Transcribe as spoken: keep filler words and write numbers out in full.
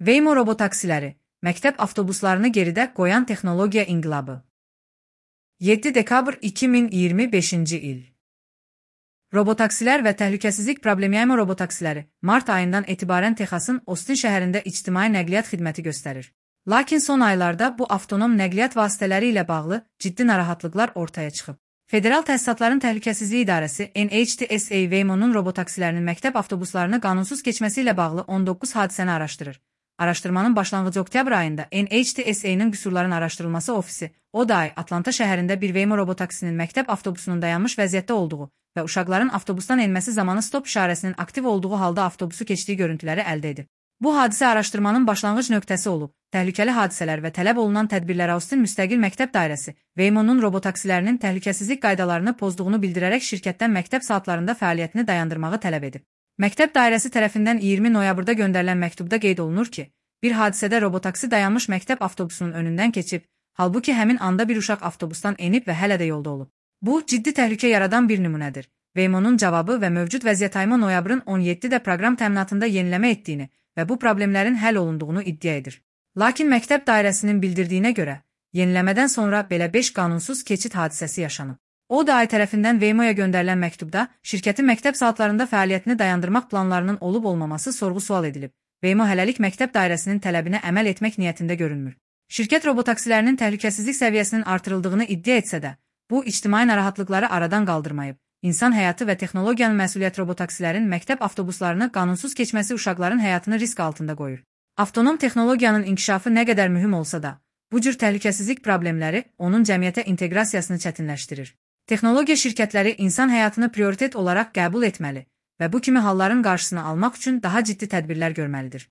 Waymo robotaksiləri, məktəb avtobuslarını geridə qoyan texnologiya inqilabı. yeddi dekabr iki min iyirmi beşinci il. Robotaksilər və təhlükəsizlik problemi. Waymo robotaksiləri mart ayından etibarən Texasın Austin şəhərində ictimai nəqliyyat xidməti göstərir. Lakin son aylarda bu avtonom nəqliyyat vasitələri ilə bağlı ciddi narahatlıqlar ortaya çıxıb. Federal Təsisatların Təhlükəsizliyi İdarəsi N H T S A Waymo'nun robotaksilərinin məktəb avtobuslarını qanunsuz keçməsi ilə bağlı on doqquz hadisəni araşdırır. Araşdırmanın başlanğıcı oktyabr ayında N H T S A'nın qüsurların araşdırılması ofisi o da ay Atlanta şəhərində bir Waymo robotaksinin məktəb avtobusunun dayanmış vəziyyətdə olduğu və uşaqların avtobusdan enməsi zamanı stop işarəsinin aktiv olduğu halda avtobusu keçdiyi görüntüləri əldə edib. Bu hadisə araşdırmanın başlanğıc nöqtəsi olub. Təhlükəli hadisələr və tələb olunan tədbirlər Austin Müstəqil Məktəb Dairəsi Waymo'nun robotaksilərinin təhlükəsizlik qaydalarını pozduğunu bildirərək şirkətdən məktəb saatlarında fəaliyyətini dayandırmağı tələb edib. Məktəb dairəsi tərəfindən iyirmi noyabrda göndərilən məktubda qeyd olunur ki, bir hadisədə robotaksi dayanmış məktəb avtobusunun önündən keçib, halbuki həmin anda bir uşaq avtobusdan enib və hələ də yolda olub. Bu, ciddi təhlükə yaradan bir nümunədir. Waymo'nun cavabı və mövcud vəziyyət Waymo noyabrın on yeddidə proqram təminatında yeniləmə etdiyini və bu problemlərin həll olunduğunu iddia edir. Lakin məktəb dairəsinin bildirdiyinə görə, yeniləmədən sonra belə beş qanunsuz keçid hadisəsi yaşanıb. O da ay tərəfindən Waymo'ya göndərilən məktubda şirkətin məktəb saatlarında fəaliyyətini dayandırmaq planlarının olub-olmaması sorğu-sual edilib. Waymo hələlik məktəb dairəsinin tələbinə əməl etmək niyyətində görünmür. Şirkət robotaksilərinin təhlükəsizlik səviyyəsinin artırıldığını iddia etsə də, bu ictimai narahatlıqları aradan qaldırmayıb. İnsan həyatı və texnologiyanın məsuliyyət robotaksilərin məktəb avtobuslarını qanunsuz keçməsi uşaqların həyatını risk altında qoyur. Avtonom texnologiyanın inkişafı nə qədər mühüm olsa da, bu cür təhlükəsizlik problemləri onun cəmiyyətə inteqrasiyasını çətinləşdirir. Texnologiya şirkətləri insan həyatını prioritet olaraq qəbul etməli və bu kimi halların qarşısını almaq üçün daha ciddi tədbirlər görməlidir.